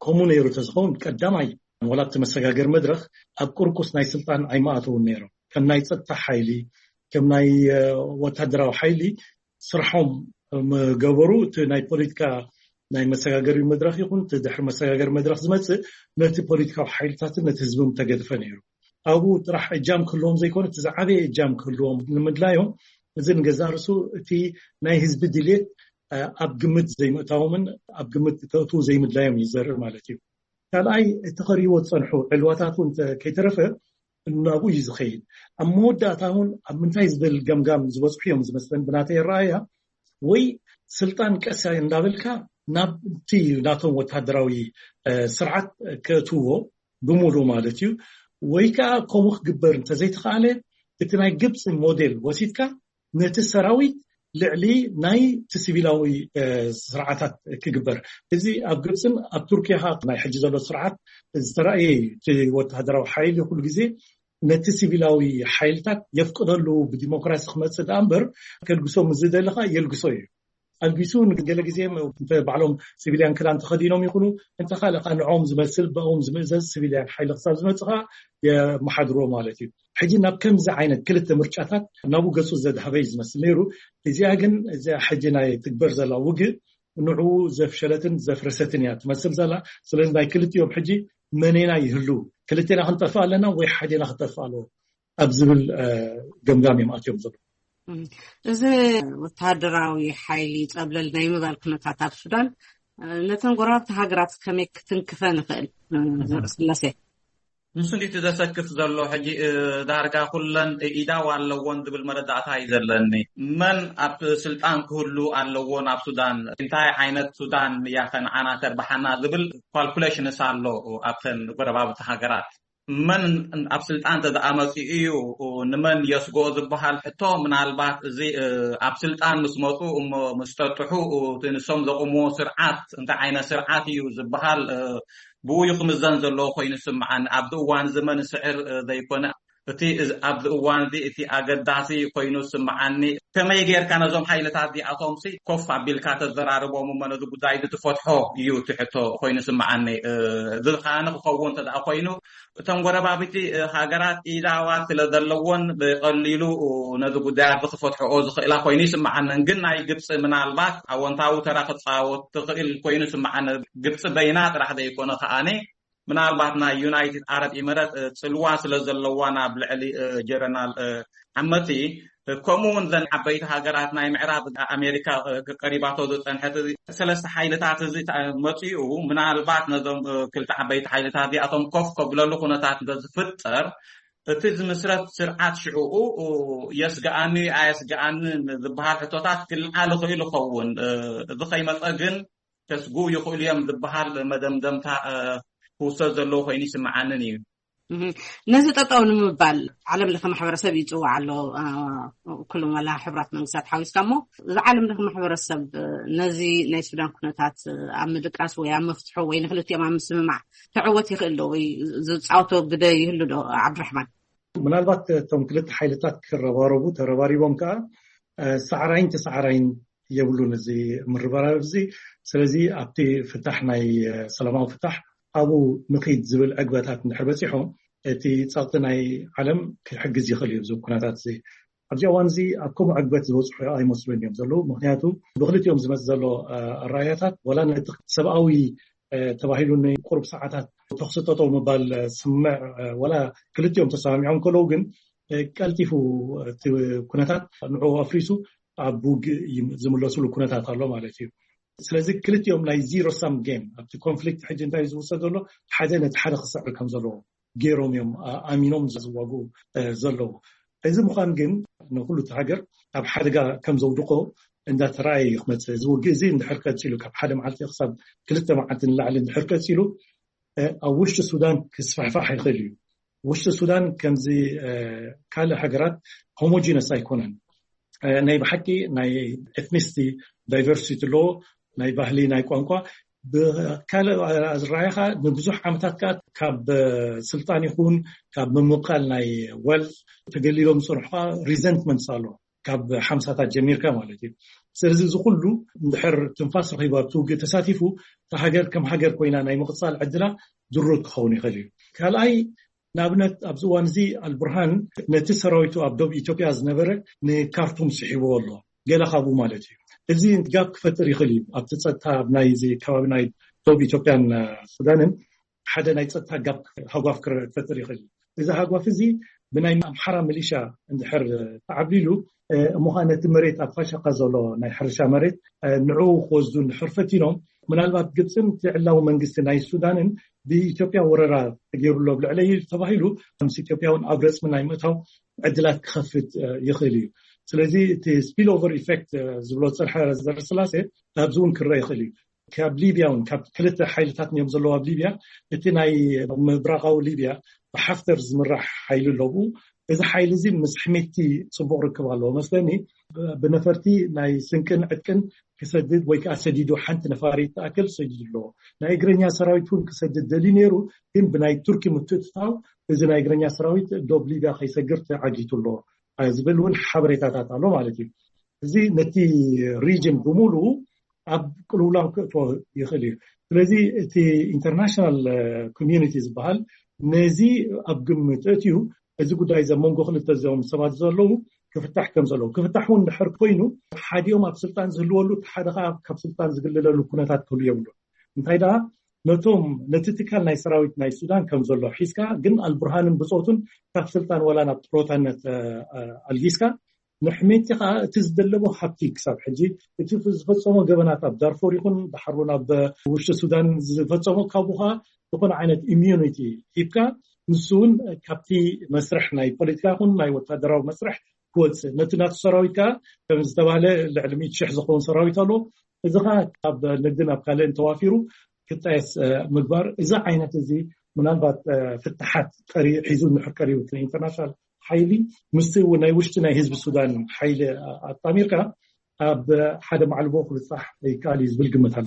ከምኡ ነይሩ ተዝኸውን ቀዳማይ ዋላ ኣብቲ መሰጋገር መድረኽ ኣብ ቁርቁስ ናይ ስልጣን ኣይመኣተውን ነይሮም። ከም ናይ ፀጥታ ሓይሊ፣ ከም ናይ ወታደራዊ ሓይሊ ስርሖም ገበሩ። እቲ ናይ ፖለቲካ ናይ መሰጋገሪ መድረኽ ይኹን እቲ ድሕሪ መሰጋገሪ መድረኽ ዝመፅእ ነቲ ፖለቲካዊ ሓይልታትን ነቲ ህዝብን ተገድፈ ነይሩ። ኣብኡ ጥራሕ እጃም ክህልዎም ዘይኮነ እቲ ዝዓበየ እጃም ክህልዎም ንምድላዮም፣ እዚ ንገዛእ ርእሱ እቲ ናይ ህዝቢ ድሌት ኣብ ግምት ዘይምእታዎምን ኣብ ግምት ከእትዉ ዘይምድላዮም እዩ ዘርኢ ማለት እዩ። ካልኣይ፣ እቲ ከርእይዎ ዝፀንሑ ዕልዋታት እውን ከይተረፈ ናብኡ እዩ ዝኸይድ። ኣብ መወዳእታ እውን ኣብ ምንታይ ዝብል ገምጋም ዝበፅሑ እዮም ዝመስለን ብናተይ ኣረኣያ። ወይ ስልጣን ቀስ እንዳበልካ ናብቲ ናቶም ወታደራዊ ስርዓት ከእትዎ ብምሉ ማለት እዩ። ወይ ከዓ ከምኡ ክግበር እንተዘይተኻኣለ እቲ ናይ ግብፂ ሞዴል ወሲድካ ነቲ ሰራዊት ልዕሊ ናይ እቲ ሲቪላዊ ስርዓታት ክግበር። እዚ ኣብ ግብፅን ኣብ ቱርኪያ ናይ ሕጂ ዘሎ ስርዓት ዝተረኣየ እዩ። እቲ ወታደራዊ ሓይሊ ኩሉ ግዜ ነቲ ሲቪላዊ ሓይልታት የፍቅደሉ፣ ብዲሞክራሲ ክመፅእ ደኣ እምበር ከልግሶ ምስ ዝደለኻ የልግሶ እዩ። ኣልጊሱ ንገለ ግዜ ባዕሎም ሲቪልያን ክዳን ተኸዲኖም ይኹኑ እንተ ካልእ ንዕኦም ዝመስል ብኦም ዝምእዘዝ ሲቪልያን ሓይሊ ክሳብ ዝመፅኻ የመሓድሮ ማለት እዩ። ሕጂ ናብ ከምዚ ዓይነት ክልተ ምርጫታት ናብኡ ገፁ ዘድሃበ እዩ ዝመስል ነይሩ። እዚኣ ግን እዚኣ ሕጂ ናይ ትግበር ዘላ ውግእ ንዕኡ ዘፍሸለትን ዘፍረሰትን እያ ትመስል ዘላ። ስለዚ ናይ ክልቲኦም ሕጂ መኔና ይህሉ፣ ክልቴና ክንጠፍእ ኣለና ወይ ሓዴና ክጠፍእ ኣለዎ ኣብ ዝብል ገምጋም እዮም ኣትዮም ዘሎ። እዚ ወታደራዊ ሓይሊ ፀብለል ናይ ምባል ኩነታት ኣብ ሱዳን ነተን ጎረባብቲ ሃገራት ከመይ ክትንክፈ ንኽእል? ዘርኢ ስላሴ ንሱ እንዲቲ ዘሰክፍ ዘሎ ሕጂ ዳርጋ ኩለን ኢዳው ኣለዎን ዝብል መረዳእታ እዩ ዘለኒ። መን ኣብ ስልጣን ክህሉ ኣለዎ ናብ ሱዳን፣ እንታይ ዓይነት ሱዳን እያ ከነዓና ተርብሓና ዝብል ኳልኩሌሽንስ ኣሎ ኣብተን ጎረባብቲ ሃገራት። መን ኣብ ስልጣን ተደኣ መፂኡ እዩ ንመን የስጎ ዝበሃል ሕቶ ምናልባት እዚ ኣብ ስልጣን ምስ መፁ እሞ ምስ ጠጥሑ እቲ ንሶም ዘቑምዎ ስርዓት እንታይ ዓይነት ስርዓት እዩ ዝበሃል ብኡ እዩ ክምዘን ዘለዎ ኮይኑ ስምዓኒ። ኣብዚ እዋን እዚ መን ስዕር ዘይኮነ እቲ ኣብዚ እዋን እዚ እቲ ኣገዳሲ ኮይኑ ስምዓኒ። ከመይ ጌርካ ነዞም ሓይልታት እዚኣቶም ሲ ኮፍ ኣቢልካ ተዘራርቦም እሞ ነዚ ጉዳይ እዚ ትፈትሖ እዩ እቲ ሕቶ ኮይኑ ስምዓኒ። እዚ ከኣ ንክኸውን እንተ ደኣ ኮይኑ እተን ጎረባብቲ ሃገራት ኢዳዋ ስለ ዘለዎን ብቐሊሉ ነዚ ጉዳያት ክፈትሕኦ ዝኽእላ ኮይኑ ይስምዓነን። ግን ናይ ግብፂ ምናልባት ኣወንታዊ ተራ ክፃወት ትኽእል ኮይኑ ይስምዓነ። ግብፂ በይና ጥራሕ ዘይኮነ ከኣኒ ምናልባት ናይ ዩናይትድ ዓረብ ኢመረት ፅልዋ ስለ ዘለዋ ናብ ልዕሊ ጀረናል ዓመቲ ከምኡ እውን ዘን ዓበይቲ ሃገራት ናይ ምዕራብ ኣሜሪካ ቀሪባቶ ዝፀንሐት ሰለስተ ሓይልታት እዚ መፅኡ ምናልባት ነዞም ክልተ ዓበይቲ ሓይልታት እዚኣቶም ኮፍ ከብለሉ ኩነታት እንተዝፍጠር እቲ ዝምስረት ስርዓት ሽዕኡ የስግኣኒ ኣየስግኣኒ ዝበሃል ሕቶታት ክልዓል ይኽእል ይኸውን። እዚ ከይመፀ ግን ከስጉ ይኽእሉ እዮም ዝበሃል መደምደምታ ክውሰድ ዘለዎ ኮይኑ ይስምዓንን እዩ። ነዚ ጠጠው ንምባል ዓለም ለኸ ማሕበረሰብ ይፅዋዕ ኣሎ። ኩሎም ዋላ ሕብራት መንግስታት ሓዊስካ እሞ እዚ ዓለም ለኸ ማሕበረሰብ ነዚ ናይ ሱዳን ኩነታት ኣብ ምድቃስ ወይ ኣብ መፍትሑ ወይ ንክልቲኦም ኣብ ምስምማዕ ክዕወት ይኽእል ዶ ወይ ዝፃወቶ ግደ ይህሉ ዶ? ዓብድራሕማን። ምናልባት እቶም ክልተ ሓይልታት ክረባረቡ ተረባሪቦም ከዓ ሳዕራይን ተሳዕራይን የብሉን እዚ ምርበራብ እዚ። ስለዚ ኣብቲ ፍታሕ ናይ ሰላማዊ ፍታሕ ኣብኡ ንኺድ ዝብል ዕግበታት እንድሕር በፂሖም እቲ ፀቕጢ ናይ ዓለም ክሕግዝ ይኽእል እዩ። እዚ ኩነታት እዚ ኣብዚ እዋን እዚ ኣብ ከምኡ ዕግበት ዝበፅሑ ኣይመስሉን እዮም ዘለዉ። ምክንያቱ ብክልቲኦም ዝመፅእ ዘሎ ኣረኣያታት ዋላ ነቲ ሰብኣዊ ተባሂሉ ንቁሩብ ሰዓታት ተኽሲ ጠጠው ምባል ስምዕ ዋላ ክልቲኦም ተሰማሚዖም ከለዉ ግን ቀልጢፉ እቲ ኩነታት ንዕኡ ኣፍሪሱ ኣብ ውግእ ዝምለስሉ ኩነታት ኣሎ ማለት እዩ። ስለዚ ክልቲኦም ናይ ዚሮ ሳም ጌም ኣብቲ ኮንፍሊክት ሕጂ እንታይ ዝውሰድ ዘሎ ሓደ ነቲ ሓደ ክስዕር ከም ዘለዎ ገይሮም እዮም ኣሚኖም ዝዋጉ ዘለዉ። እዚ ምዃን ግን ንኩሉ እቲ ሃገር ኣብ ሓደጋ ከም ዘውድቆ እንዳተረኣየ እዩ ክመፅእ። እዚ ውግእ እዚ እንድሕር ቀፂሉ፣ ካብ ሓደ መዓልቲ ክሳብ ክልተ መዓልቲ ንላዕሊ እንድሕር ቀፂሉ፣ ኣብ ውሽጢ ሱዳን ክስፋሕፋሕ ይኽእል እዩ። ውሽጢ ሱዳን ከምዚ ካልእ ሃገራት ሆሞጂነስ ኣይኮነን። ናይ ብሓቂ ናይ ኤትኒሲቲ ዳይቨርሲቲ ኣለዎ፣ ናይ ባህሊ፣ ናይ ቋንቋ። ብካልእ ኣዝራእኻ ንብዙሕ ዓመታት ከኣ ካብ ስልጣን ይኹን ካብ ምምቃል ናይ ወልት ተገሊሎም ዝጸንሑ ከኣ ሪዘንትመንትስ ኣሎ፣ ካብ ሓምሳታት ጀሚርካ ማለት እዩ። ስለዚ እዚ ኩሉ እንድሕር ትንፋስ ረኺቡ ኣብቲ ውግእ ተሳቲፉ፣ እታ ሃገር ከም ሃገር ኮይና ናይ ምቕጻል ዕድላ ድሩት ክኸውን ይኽእል እዩ። ካልኣይ፣ ንኣብነት ኣብዚ እዋን እዚ ኣልቡርሃን ነቲ ሰራዊቱ ኣብ ዶብ ኢትዮጵያ ዝነበረ ንካርቱም ስሒብዎ ኣሎ፣ ገለ ካብኡ ማለት እዩ። እዚ ጋፕ ክፈጥር ይኽእል እዩ ኣብቲ ጸጥታ ኣብ ናይዚ ከባቢ ናይ ዶብ ኢትዮጵያን ሱዳንን ሓደ ናይ ጸጥታ ጋፕ ሃጓፍ ክፈጥር ይኽእል እዩ። እዚ ሃጓፍ እዚ ብናይ ኣምሓራ ሚሊሻ እንድሕር ተዓብሊሉ እሞ ኸዓ ነቲ መሬት ኣብ ፋሻካ ዘሎ ናይ ሕርሻ መሬት ንዕኡ ክወስዱ እንድሕር ፈቲኖም፣ ምናልባት ግብፅን እቲ ዕላዊ መንግስቲ ናይ ሱዳንን ብኢትዮጵያ ወረራ ተገይሩ ኣሎ ኣብ ልዕለይ ተባሂሉ ምስ ኢትዮጵያ እውን ኣብ ረፅሚ ናይ ምእታው ዕድላት ክኸፍት ይኽእል እዩ። ስለዚ እቲ ስፒል ኦቨር ኢፌክት ዝብሎ ዝፀንሐ ዘረስላሴ ኣብዚ እውን ክረአ ይኽእል እዩ። ካብ ሊብያ እውን ካብ ክልተ ሓይልታት እዮም ዘለዉ ኣብ ሊብያ። እቲ ናይ ምብራቓዊ ሊብያ ብሓፍተር ዝምራሕ ሓይሊ ኣለዉ። እዚ ሓይሊ እዚ ምስ ሕሜቲ ፅቡቕ ርክብ ኣለዎ መስለኒ። ብነፈርቲ ናይ ስንቅን ዕጥቅን ክሰድድ ወይ ከዓ ሰዲዱ ሓንቲ ነፋሪት ትኣክል ሰዲዱ ኣለዎ። ናይ እግረኛ ሰራዊት እውን ክሰድድ ደልዩ ነይሩ፣ ግን ብናይ ቱርኪ ምትእትታው እዚ ናይ እግረኛ ሰራዊት ዶብ ሊብያ ከይሰግር ተዓጊቱ ኣሎ ዝብል እውን ሓበሬታታት ኣሎ ማለት እዩ። እዚ ነቲ ሪጅን ብምሉኡ ኣብ ቅልውላው ክእትዎ ይኽእል እዩ። ስለዚ እቲ ኢንተርናሽናል ኮሚዩኒቲ ዝበሃል ነዚ ኣብ ግምት እትዩ፣ እዚ ጉዳይ እዚ ኣብ መንጎ ክልተ እዚኦም ሰባት ዘለዉ ክፍታሕ ከም ዘለዉ፣ ክፍታሕ እውን ድሕር ኮይኑ ሓዲኦም ኣብ ስልጣን ዝህልወሉ እቲ ሓደ ከዓ ካብ ስልጣን ዝግልለሉ ኩነታት ክህሉ የብሉ። እንታይ ደኣ ነቶም ነቲ ትካል ናይ ሰራዊት ናይ ሱዳን ከም ዘሎ ሒዝካ ግን ኣልቡርሃንን ብፆቱን ካብ ስልጣን ዋላ ናብ ጥሮታነት ኣልጊስካ ንሕሜቲ ከዓ እቲ ዝደለቦ ሃብቲ ክሳብ ሕጂ እቲ ዝፈፀሞ ገበናት ኣብ ዳርፎር ይኹን ድሓር እውን ኣብ ውሽጢ ሱዳን ዝፈፀሞ ካብኡ ከዓ ዝኾነ ዓይነት ኢሚዩኒቲ ሂብካ ንሱ እውን ካብቲ መስርሕ ናይ ፖለቲካ ይኹን ናይ ወታደራዊ መስርሕ ክወፅእ ነቲ ናቱ ሰራዊት ከዓ ከም ዝተባህለ ልዕሊ ሚእቲ ሽሕ ዝኸውን ሰራዊት ኣሎ። እዚ ከዓ ካብ ንግድን ኣብ ካልእን ተዋፊሩ ክጣየስ ምግባር እዚ ዓይነት እዚ ምናልባት ፍትሓት ሒዙ ንሕር ቀሪቡ ኢንተርናሽናል ሓይሊ ምስቲ ናይ ውሽጢ ናይ ህዝቢ ሱዳን ሓይሊ ኣጣሚርካ ኣብ ሓደ ማዕልቦ ክብፃሕ ይከኣል እዩ ዝብል ግምት ኣሎ።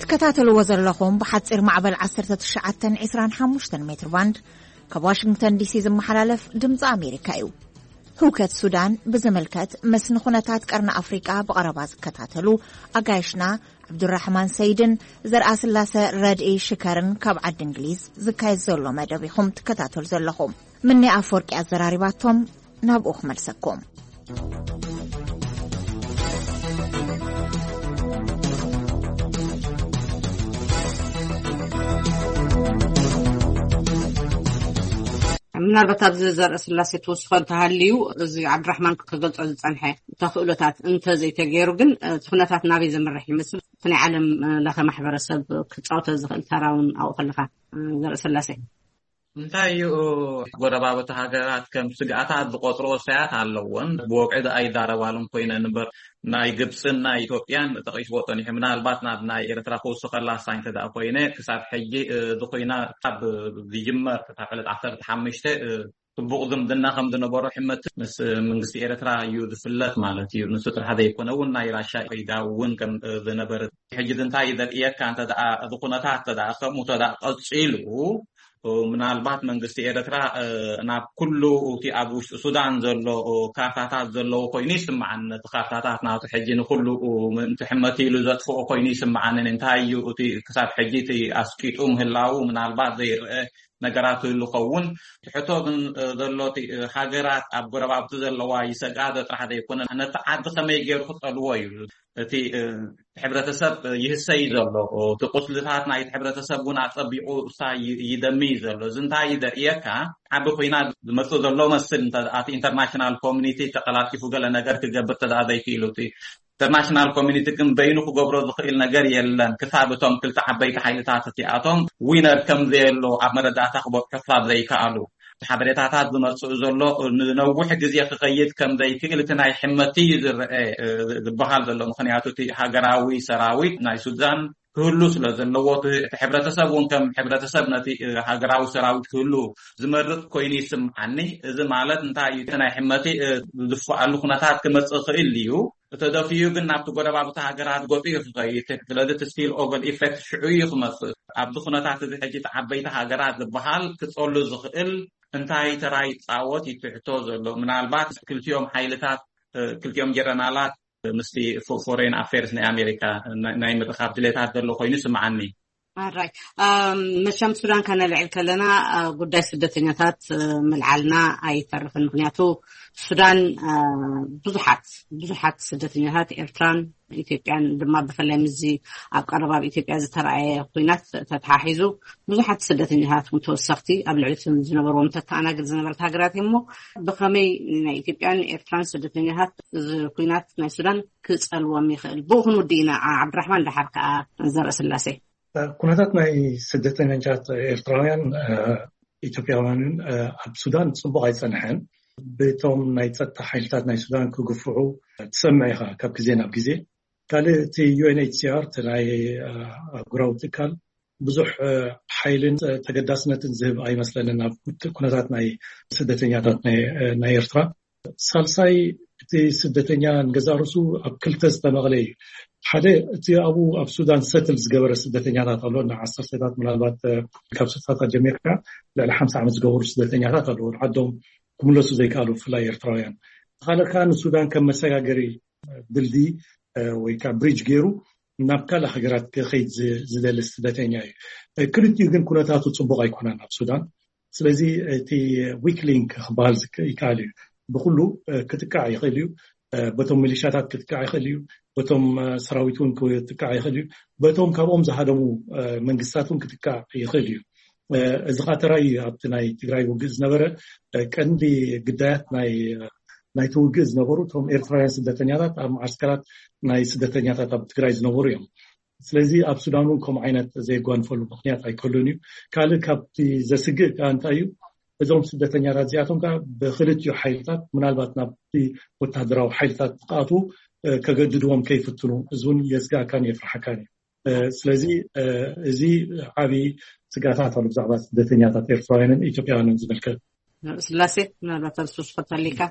ትከታተልዎ ዘለኹም ብሓፂር ማዕበል ዓሰርተ ትሽዓተ ዕስራን ሓሙሽተን ሜትር ባንድ ካብ ዋሽንግተን ዲሲ ዝመሓላለፍ ድምፂ ኣሜሪካ እዩ። ህውከት ሱዳን ብዝምልከት ምስ ንኹነታት ቀርኒ ኣፍሪቃ ብቐረባ ዝከታተሉ ኣጋይሽና ዓብዱራሕማን ሰይድን ዘርኣስላሰ ረድኢ ሽከርን ካብ ዓዲ እንግሊዝ ዝካየድ ዘሎ መደብ ኢኹም ትከታተሉ ዘለኹም። ምኒ ኣፈወርቂ ኣዘራሪባቶም ናብኡ ክመልሰኩም። ምናልባት ኣብዚ ዘርኢ ስላሴ ትውስኾ እንተሃልዩ እዚ ዓብድራሕማን ክገልጾ ዝጸንሐ ተኽእሎታት እንተዘይተገይሩ ግን እቲ ኩነታት ናበይ ዘምርሕ ይመስል? እቲ ናይ ዓለም ለኸ ማሕበረሰብ ክጻወቶ ዝኽእል ተራ እውን ኣብኡ ከለኻ ዘርኢ ስላሴ እንታይ እዩ? ጎረባብቲ ሃገራት ከም ስግኣታት ዝቆፅሮ ወሳያት ኣለዎን ብወግዒ ደኣ ይዛረባሉን ኮይነን እምበር ናይ ግብፅን ናይ ኢትዮጵያን ጠቒስዎ ፀኒሑ። ምናልባት ናብ ናይ ኤርትራ ክውስኸላ ሳይ እንተ ደኣ ኮይነ ክሳብ ሕጂ እዚ ኮይና ካብ ዝጅመር ክሳብ ዕለት ዓሰርተ ሓሙሽተ ፅቡቕ ዝምድና ከም ዝነበሮ ሕመት ምስ መንግስቲ ኤርትራ እዩ ዝፍለጥ ማለት እዩ። ንሱ ጥራሕ ዘይኮነ እውን ናይ ራሻ ኢዳ እውን ከም ዝነበረ ሕጂ እንታይ ዘርእየካ እንተ ደኣ እዚ ኩነታት እንተ ደኣ ከምኡ እንተ ደኣ ቀጺሉ ምናልባት መንግስቲ ኤርትራ ናብ ኩሉ እቲ ኣብ ውሽጢ ሱዳን ዘሎ ካርታታት ዘለዎ ኮይኑ ይስምዓኒ። ነቲ ካርታታት ናቱ ሕጂ ንኩሉ ምእንቲ ሕመት ኢሉ ዘጥፍኦ ኮይኑ ይስምዓኒ። እንታይ እዩ እቲ ክሳብ ሕጂ እቲ ኣስቂጡ ምህላዉ ምናልባት ዘይርአ ነገራት ይህሉ ኸውን። ትሕቶ ግን ዘሎ ሃገራት ኣብ ጎረባብቲ ዘለዋ ይሰግኣ ዶ ጥራሕ ዘይኮነ ነቲ ዓዲ ከመይ ገይሩ ክፀልዎ እዩ እቲ ሕብረተሰብ ይህሰይ ዘሎ እቲ ቁስልታት ናይቲ ሕብረተሰብ እውን ኣፀቢቑ እሳ ይደሚ ዘሎ እዚ እንታይ ዘርእየካ ዓቢ ኮይና ዝመፅእ ዘሎ መስል እቲ ኢንተርናሽናል ኮሚኒቲ ተቀላጢፉ ገለ ነገር ክገብር ተደኣ ዘይክኢሉ እቲ ኢንተርናሽናል ኮሚኒቲ ግን በይኑ ክገብሮ ዝኽእል ነገር የለን፣ ክሳብ እቶም ክልተ ዓበይቲ ሓይልታት እቲኣቶም ዊነር ከም ዘየሎ ኣብ መረዳእታ ክበጽሑ ክሳብ ዘይከኣሉ። እቲ ሓበሬታታት ዝመጽእ ዘሎ ንነዊሕ ግዜ ክኸይድ ከም ዘይክእል እቲ ናይ ሕመቲ እዩ ዝረአ፣ እ፣ ዝበሃል ዘሎ። ምኽንያቱ እቲ ሃገራዊ ሰራዊት ናይ ሱዳን ክህሉ ስለ ዘለዎ፣ እቲ፣ እቲ ሕብረተሰብ እውን ከም ሕብረተሰብ ነቲ፣ እ፣ ሃገራዊ ሰራዊት ክህሉ ዝመርጽ ኮይኑ ይስምዓኒ። እዚ ማለት እንታይ እዩ? እቲ ናይ ሕመቲ፣ እ፣ ዝድፍኣሉ ኩነታት ክመጽእ ይኽእል እዩ። እተደፊኡ ግን ናብቲ ጎረባብቲ ሃገራት ገጹ እዩ ክኸይድ። ስለዚ እቲ ስፒል ኦቨር ኢፌክት ሽዑ እዩ ክመጽእ። ኣብዚ ኩነታት እዚ ሕጂ እቲ ዓበይቲ ሃገራት ዝበሃል ክጸሉ ዝኽእል እንታይ ተራ ይጻወት እዩ ትሕቶ ዘሎ። ምናልባት ክልቲኦም ሓይልታት፣ እ፣ ክልቲኦም ጀረናላት ምስቲ ፎ-፣ ፎሬን ኣፌርስ ናይ ኣሜሪካ ናይ፣ ናይ ምርኻብ ድሌታት ዘሎ ኮይኑ ስምዓኒ። ኣራይ፣ ኣም፣ መቸም ሱዳን ከነልዕል ከለና፣ ኣ፣ ጉዳይ ስደተኛታት፣ እ፣ ምልዓልና ኣይተርፍን። ምኽንያቱ ሱዳን፣ ኣ፣ ብዙሓት፣ ብዙሓት ስደተኛታት ኤርትራን ኢትዮጵያን ድማ ብፍላይ ምስዚ ኣብ ቀረባ ኣብ ኢትዮጵያ ዝተረኣየ ኲናት ተተሓሒዙ ብዙሓት ስደተኛታት እውን ተወሰኽቲ ኣብ ልዕሊ እቶም ዝነበርዎም ተተኣናግድ ዝነበረት ሃገራት እሞ ብኸመይ ናይ ኢትዮጵያን ኤርትራን ስደተኛታት እዚ ኲናት ናይ ሱዳን ክጸልዎም ይኽእል? ብኡ ክንውዲ ኢና። ዓ-፣ ዓብድራሕማን ደሓር ከኣ ዘርኢ ስላሴ። ኩነታት ናይ ስደተኛታት ኤርትራውያን፣ እ፣ ኢትዮጵያውያንን፣ እ፣ ኣብ ሱዳን ጽቡቕ ኣይጸንሐን። ብቶም ናይ ጸጥታ ሓይልታት ናይ ሱዳን ክግፍዑ ትሰምዕ ኢኻ ካብ ግዜ ናብ ግዜ። ካልእ እቲ ዩ ኤን ኤች ሲ ኣር፣ እቲ ናይ፣ እ፣ ኣህጉራዊ ትካል ብዙሕ፣ እ፣ ሓይልን፣ እ፣ ተገዳስነትን ዝህብ ኣይመስለንን ኣብ ኩነታት ናይ ስደተኛታት ናይ፣ እ፣ ናይ ኤርትራ። ሳልሳይ፣ እቲ ስደተኛ ንገዛእ ርእሱ ኣብ ክልተ ዝተመቕለ እዩ። ሓደ፣ እቲ ኣብኡ ኣብ ሱዳን ሰትል ዝገበረ ስደተኛታት ኣሎ፣ ንዓሰርተታት፣ ምናልባት፣ እ፣ ካብ ስሳታት ጀሚርካ ልዕሊ ሓምሳ ዓመት ዝገበሩ ስደተኛታት ኣለዉ፣ ዓዶም ክምለሱ ዘይከኣሉ፣ ብፍላይ ኤርትራውያን። ካልእ ከኣ ንሱዳን ከም መሰጋገሪ ድልድይ፣ እ፣ ወይ ከዓ ብሪጅ ገይሩ ናብ ካልእ ሃገራት ክኸይድ ዝ-፣ ዝደሊ ስደተኛ እዩ። እ፣ ክልቲኡ ግን ኩነታቱ ጽቡቕ ኣይኮነን ኣብ ሱዳን። ስለዚ እቲ ዊክ ሊንክ ክበሃል ዝክ-፣ ይከኣል እዩ። ብኩሉ፣ እ፣ ክትቃዕ ይኽእል እዩ። እ፣ በቶም ሚሊሻታት ክትቃዕ ይኽእል እዩ። በቶም፣ እ፣ ሰራዊት እውን ክትቃዕ ይኽእል እዩ። በቶም ካብኦም ዝሃደሙ፣ እ፣ መንግስታት እውን ክትቃዕ ይኽእል እዩ። እ፣ እዚ ኸኣ ተራእዩ ኣብቲ ናይ ትግራይ ውግእ ዝነበረ፣ እ፣ ቀንዲ ግዳያት ናይ፣ ናይቲ ውግእ ዝነበሩ እቶም ኤርትራውያን ስደተኛታት ኣብ መዓስከራት ናይ ስደተኛታት ኣብ ትግራይ ዝነበሩ እዮም። ስለዚ ኣብ ሱዳን እውን ከምኡ ዓይነት ዘየጓንፈሉ ምኽንያት ኣይከሉን እዩ። ካልእ ካብቲ ዘስግእ ከኣ እንታይ እዩ? እዞም ስደተኛታት እዚኣቶም ከኣ ብክልቲኡ ሓይልታት ምናልባት ናብቲ ወታደራዊ ሓይልታት ክኣትዉ፣ እ፣ ከገድድዎም ከይፍትኑ፣ እዚ እውን የስግኣካን የፍርሓካን እዩ። እ፣ ስለዚ፣ እ፣ እዚ ዓቢ ስግኣታት ኣሎ ብዛዕባ ስደተኛታት ኤርትራውያንን ኢትዮጵያውያንን ዝምልከት። ስላሴ፣ ምናልባት ኣብ ሱስ ፈታሊካ።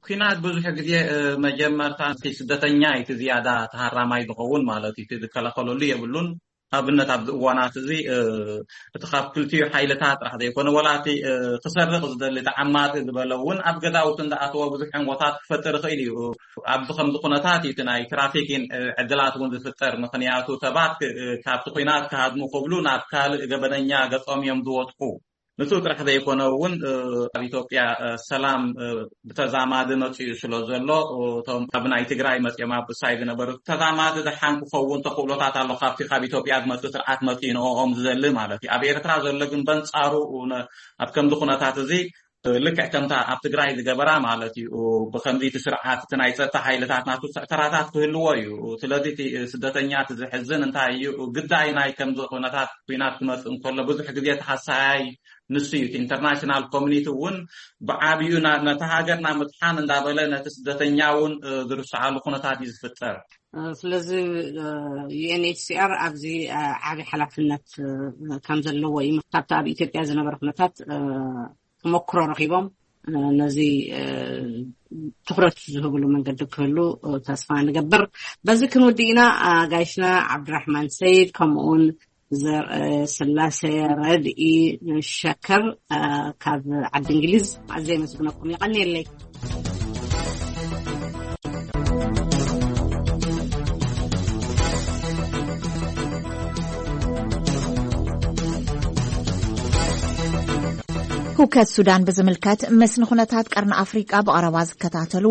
ኩናት ብዙሕ ግዜ፣ እ፣ መጀመርታ እቲ ስደተኛ እዩ እቲ ዝያዳ ተሃራማይ ዝኸውን ማለት እዩ። እቲ ዝከላኸለሉ የብሉን። ኣብነት ኣብዚ እዋናት እዚ፣ እ፣ እቲ ካብ ክልቲኡ ሓይልታት ጥራሕ ዘይኮነ፣ ወላ እቲ፣ እ፣ ክሰርቕ ዝደሊ፣ እቲ ዓማጺ ዝበለ እውን ኣብ ገዛውቲ እንዳኣተወ ብዙሕ ዕንወታት ክፈጥር ይኽእል እዩ። ኣብዚ ከምዚ ኩነታት እዩ እቲ ናይ ትራፊኪን፣ እ፣ ዕድላት እውን ዝፍጠር። ምኽንያቱ ሰባት ክ-፣ እ፣ ካብቲ ኩናት ክሃድሙ ክብሉ ናብ ካልእ ገበነኛ ገጾም እዮም ዝወድቁ። ንሱ ጥራሕ ዘይኮነ እውን፣ እ፣ ኣብ ኢትዮጵያ፣ እ፣ ሰላም፣ እ፣ ብተዛማዲ መጺኡ ስለ ዘሎ፣ እ፣ እቶም ኣብ ናይ ትግራይ መጺኦም ኣብ እሳይ ዝነበሩ ተዛማዲ ደሓን ክኸውን ተኽእሎታት ኣሎ። ካብቲ ካብ ኢትዮጵያ ዝመጽእ ስርዓት መጺኡ ንዕኦም ዝደሊ ማለት እዩ። ኣብ ኤርትራ ዘሎ ግን በንጻሩ ነ-፣ ኣብ ከምዚ ኩነታት እዚ፣ እ፣ ልክዕ ከምታ ኣብ ትግራይ ዝገበራ ማለት እዩ። ብከምዚ እቲ ስርዓት እቲ ናይ ጸጥታ ሓይልታት ናቱ ተራታት ክህልዎ እዩ። ስለዚ እቲ ስደተኛ እቲ ዝሕዝን እንታይ እዩ? ግዳይ ናይ ከምዚ ኩነታት ኩናት ክመጽእ እንከሎ ብዙሕ ግዜ ተሃሳያይ ንሱ እዩ። እቲ ኢንተርናሽናል ኮሚኒቲ እውን ብዓቢኡ ና-፣ ነታ ሃገር ናብ ምድሓን እንዳበለ ነቲ ስደተኛ እውን፣ እ፣ ዝርስዓሉ ኩነታት እዩ ዝፍጠር። እ፣ ስለዚ፣ እ፣ ዩ ኤን ኤች ሲ ኣር ኣብዚ፣ እ፣ ዓቢ ሓላፍነት፣ እ፣ ከም ዘለዎ እዩ። ካብቲ ኣብ ኢትዮጵያ ዝነበረ ኩነታት፣ እ፣ ተመክሮ ረኺቦም፣ እ፣ ነዚ፣ እ፣ ትኹረት ዝህብሉ መንገዲ ክህሉ፣ እ፣ ተስፋ ንገብር። በዚ ክንውድእ ኢና። ኣጋይሽና ዓብድራሕማን ሰይድ ከምኡውን ዘር-፣ እ፣ ስላሴ ረድኢ ሸከር፣ እ፣ ካብ ዓዲ እንግሊዝ ኣዝየ የመስግነኩም። የቐንየለይ። ህውከት ሱዳን ብዝምልከት ምስ ንኹነታት ቀርኒ ኣፍሪቃ ብቐረባ ዝከታተሉ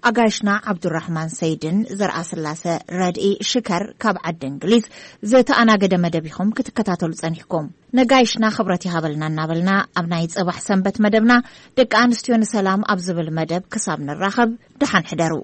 ኣጋይሽና ዓብዱራሕማን ሰይድን ዘርኣስላሰ ረድኢ ሽከር ካብ ዓዲ እንግሊዝ ዝተኣናገደ መደብ ኢኹም ክትከታተሉ ጸኒሕኩም። ነጋይሽና ክብረት ይሃበልና እናበልና ኣብ ናይ ጽባሕ ሰንበት መደብና ደቂ ኣንስትዮ ንሰላም ኣብ ዝብል መደብ ክሳብ ንራኸብ ደሓን ሕደሩ።